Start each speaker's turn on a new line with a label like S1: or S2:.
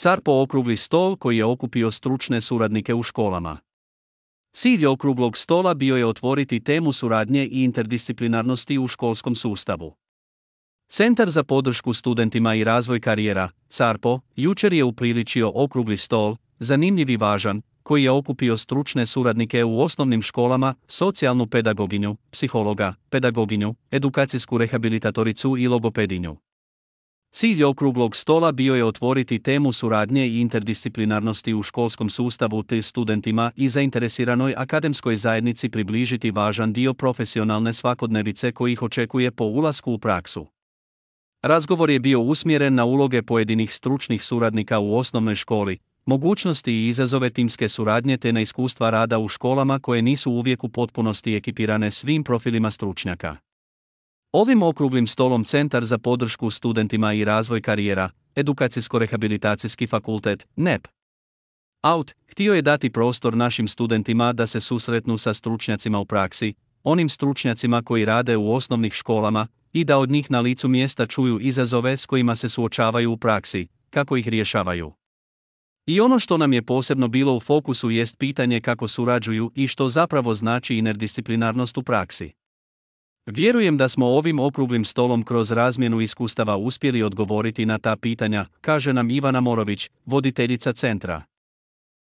S1: CARPO okrugli stol koji je okupio stručne suradnike u školama. Cilj okruglog stola bio je otvoriti temu suradnje i interdisciplinarnosti u školskom sustavu. Centar za podršku studentima i razvoj karijera, CARPO, jučer je upriličio okrugli stol, zanimljiv i važan, koji je okupio stručne suradnike u osnovnim školama, socijalnu pedagoginju, psihologa, pedagoginju, edukacijsku rehabilitatoricu i logopedinju. Cilj okruglog stola bio je otvoriti temu suradnje i interdisciplinarnosti u školskom sustavu te studentima i zainteresiranoj akademskoj zajednici približiti važan dio profesionalne svakodnevice koji ih očekuje po ulasku u praksu. Razgovor je bio usmjeren na uloge pojedinih stručnih suradnika u osnovnoj školi, mogućnosti i izazove timske suradnje te na iskustva rada u školama koje nisu uvijek u potpunosti ekipirane svim profilima stručnjaka. Ovim okruglim stolom Centar za podršku studentima i razvoj karijera, Edukacijsko-rehabilitacijski fakultet, NEP. AUT, htio je dati prostor našim studentima da se susretnu sa stručnjacima u praksi, onim stručnjacima koji rade u osnovnih školama, i da od njih na licu mjesta čuju izazove s kojima se suočavaju u praksi, kako ih rješavaju. I ono što nam je posebno bilo u fokusu jest pitanje kako surađuju i što zapravo znači interdisciplinarnost u praksi. Vjerujem da smo ovim okruglim stolom kroz razmjenu iskustava uspjeli odgovoriti na ta pitanja, kaže nam Ivana Morović, voditeljica centra.